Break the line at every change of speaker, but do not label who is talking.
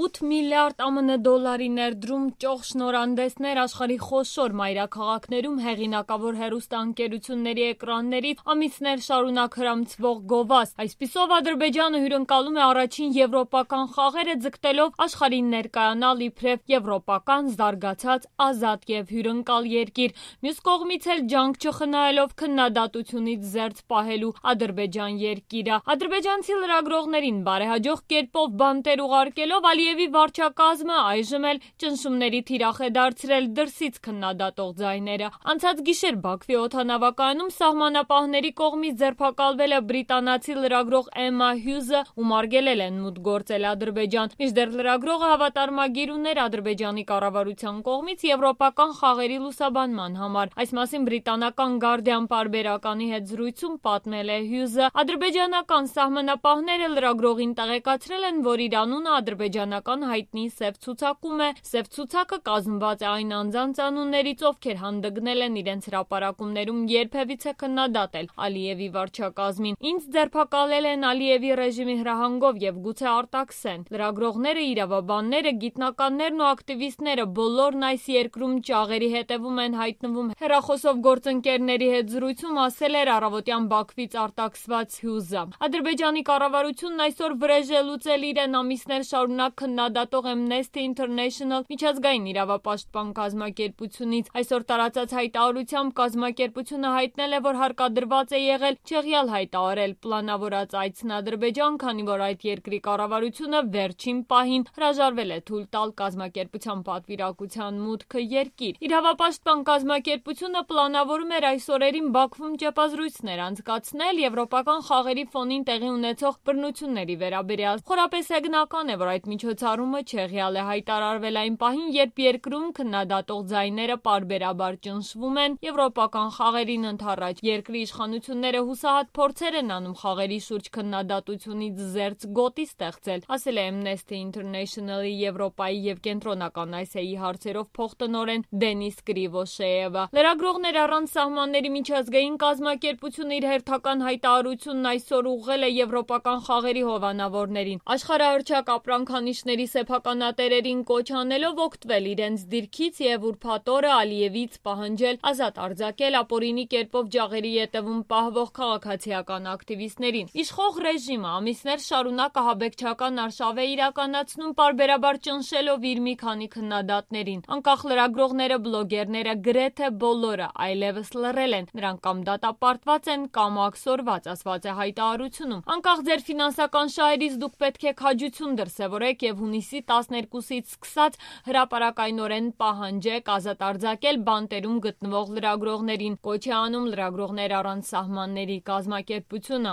8 միլիարդ ԱՄՆ դոլարի ներդրում, ճոխ շնորհանդեսներ աշխարհի խոշոր մայրաքաղաքներում հեղինակավոր հեռուստաընկերությունների էկրաններից ամիսներ շարունակ հրամցվող գովազդ։ Այսպիսով Ադրբեջանը հյուրընկալում է առաջին եվրոպական խաղերը, ձգտելով աշխարհին ներկայանալ իբրև եվրոպական զարգացած ազատ եւ հյուրընկալ երկիր։ Մյուս կողմից էլ ջանք չխնայելով քննադատությունից զերծ պահելու Ադրբեջան երկիրը։ Ադրբեջանցի լրագրողներին բարեհաջող կերպով բանտեր ուղարկելով Ալիևի վարչակազմը այժմ էլ ճնշումների թիրախ է դարձրել դրսից քննադատող ձայները։ Անցած գիշեր Բաքվի օդանավակայանում սահմանապահների կողմից ձերբակալվել է բրիտանացի լրագրող Էմմա Հյուզը, ում արգելել են մուտք գործել Ադրբեջան։ Մինչդեռ լրագրողը հավատարմագիր ուներ Ադրբեջանի կառավարության կողմից եվրոպական խաղերի լուսաբանման համար։ Այս մասին բրիտանական Guardian պարբերականի հետ զրույցում պատմել է Հյուզը։ Ադրբեջանական սահմանապահները լրագրողին տեղեկացրել են, որ իր անունը ադրբեջանական հայտնի սև ցուցակում է։ Սև ցուցակը կազմված է այն անձանց անուններից, ովքեր հանդգնել են իրենց հրապարակումներում երբևիցե քննադատել Ալիևի վարչակազմին։ Ինձ ձերբակալել են Ալիևի ռեժիմի հրահանգով եւ գուցե արտաքսեն։ Լրագրողները, իրավաբանները, գիտնականներն ու ակտիվիստները բոլորն այս երկրում ճաղերի հետևում են հայտնվում։ Հեռախոսով գործընկերների հետ զրույցում ասել էր առավոտյան Բաքվից արտաքսված Հյուզը։ Ադրբեջանի կառավարությունն այսօր վրեժ է լուծել իրեն ամիսներ շարունակ քննադատող Amnesty International միջազգային իրավապաշտպան կազմակերպությունից։ Այսօր տարածած հայտարարությամբ կազմակերպությունը հայտնել է, որ հարկադրված է եղել չեղյալ հայտարարել պլանավորած այցն Ադրբեջան, քանի որ այդ երկրի կառավարությունը վերջին պահին հրաժարվել է թույլ տալ կազմակերպության պատվիրակության մուտքը երկիր։ Իրավապաշտպան կազմակերպությունը պլանավորում էր այս օրերին Բաքվում ճեպազրույցներ անցկացնել եվրոպական խաղերի ֆոնին տեղի ունեցող բռնությունների վերաբերյալ։ Խորապես հեգնական է, որ այդ միջոցառումը չեղյալ է հայտարարվել այն պահին, երբ երկրում քննադատող ձայները պարբերաբար ճնշվում են եվրոպական խաղերին ընդառաջ։ Երկրի իշխանությունները հուսահատ փորձեր են անում խաղերի շուրջ քննադատությունից զերծ գոտի ստեղծել, ասել է Amnesty International-ի Եվրոպայի եւ Կենտրոնական Ասիայի հարցերով փոխտնօրեն Դենիս Կրիվոշեևը։ Լրագրողներ առանց սահմանների միջազգային կազմակերպությունը իր հերթական հայտարարությունն այսօր ուղղել է եվրոպական խաղերի հովանավորներին։ Աշխարհահռչակ ապրանքանիշների սեփականատերերին կոչ անելով օգտվել իրենց դիրքից եւ ուրբաթ օրը Ալիևից պահանջել ազատ արձակել ապօրինի կերպով ջաղերի ետևում պահվող քաղաքացիական ակտիվիստներին։ Իշխող ռեժիմը ամիսներ շարունակ ահաբեկչական արշավ է իրականացնում, պարբերաբար ճնշելով իր մի քանի քննադատներին։ Անկախ լրագրողները, բլոգերները գրեթե բոլորը այլևս լռել են։ Նրանք կամ դատապարտված են, կամ աքսորված, ասված է հայտարարությունում։ Անկախ ձեր ֆինանսական շահերից դուք պետք է քաջություն դրսևորեք եւ հունիսի 12-ից սկսած հրապարակայնորեն պահանջեք ազատ արձակել բանտերում գտնվող լրագրողներին։ Կոչ է անում Լրագրողներ առանց սահմանների կազմակերպությունը։